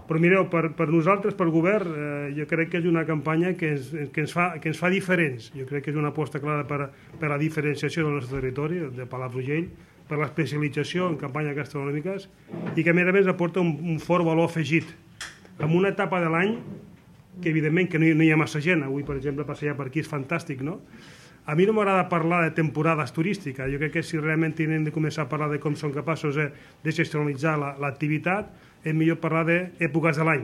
Però mireu, per nosaltres, per govern, jo crec que és una campanya que ens fa diferents. Jo crec que és una aposta clara per la diferenciació del nostre territori, de Palafrugell, per l'especialització en campanyes gastronòmiques i que a més aporta un fort valor afegit. En una etapa de l'any que evidentment que no hi ha massa gent, avui per exemple passejar per aquí és fantàstic, no? A mi no m'agrada parlar de temporades turístiques, jo crec que si realment hem de començar a parlar de com som capaços de gestionalitzar l'activitat, és millor parlar d'èpoques de l'any,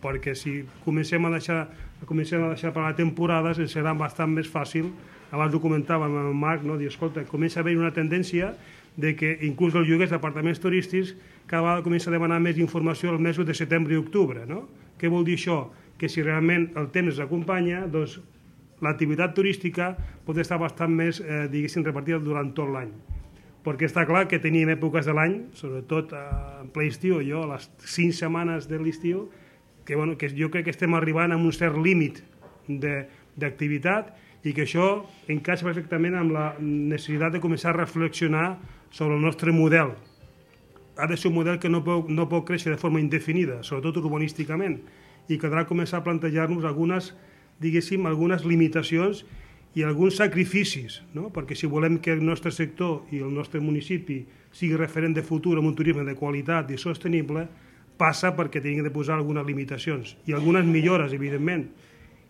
perquè si comencem a deixar parlar de temporades ens serà bastant més fàcil. Abans ho comentàvem amb el Marc, no? Dir, escolta, comença a haver una tendència de que inclús els lloguers d'apartaments turístics cada vegada comença a demanar més informació als mesos de setembre i octubre, no? Què vol dir això? Que si realment el temps acompanya, doncs l'activitat turística pot estar bastant més, diguéssim, repartida durant tot l'any. Perquè està clar que tenim èpoques de l'any, sobretot en ple estiu, a les 5 setmanes de l'estiu, que jo crec que estem arribant a un cert límit d'activitat i que això encaixa perfectament amb la necessitat de començar a reflexionar sobre el nostre model. Ha de ser un model que no pot créixer de forma indefinida, sobretot urbanísticament, i caldrà començar a plantejar-nos algunes limitacions i alguns sacrificis, no? Perquè si volem que el nostre sector i el nostre municipi sigui referent de futur amb un turisme de qualitat i sostenible, passa perquè tenim de posar algunes limitacions i algunes millores, evidentment.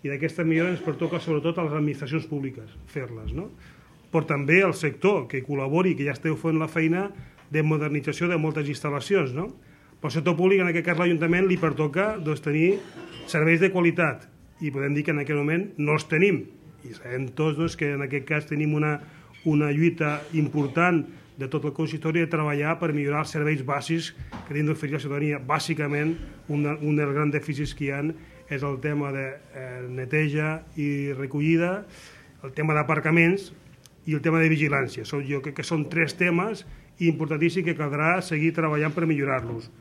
I d'aquestes millores ens pertoca sobretot a les administracions públiques fer-les, no? Però també al sector que col·labori, que ja esteu fent la feina de modernització de moltes instal·lacions, no? Pel sector públic, en aquest cas l'Ajuntament, li pertoca tenir serveis de qualitat i podem dir que en aquest moment no els tenim. I sabem tots que en aquest cas tenim una lluita important de tot el consistori de treballar per millorar els serveis bàsics que hem d'oferir a la ciutadania. Bàsicament, un dels grans dèficits que hi ha és el tema de neteja i recollida, el tema d'aparcaments i el tema de vigilància. Jo crec que són 3 temes importantíssims que caldrà seguir treballant per millorar-los.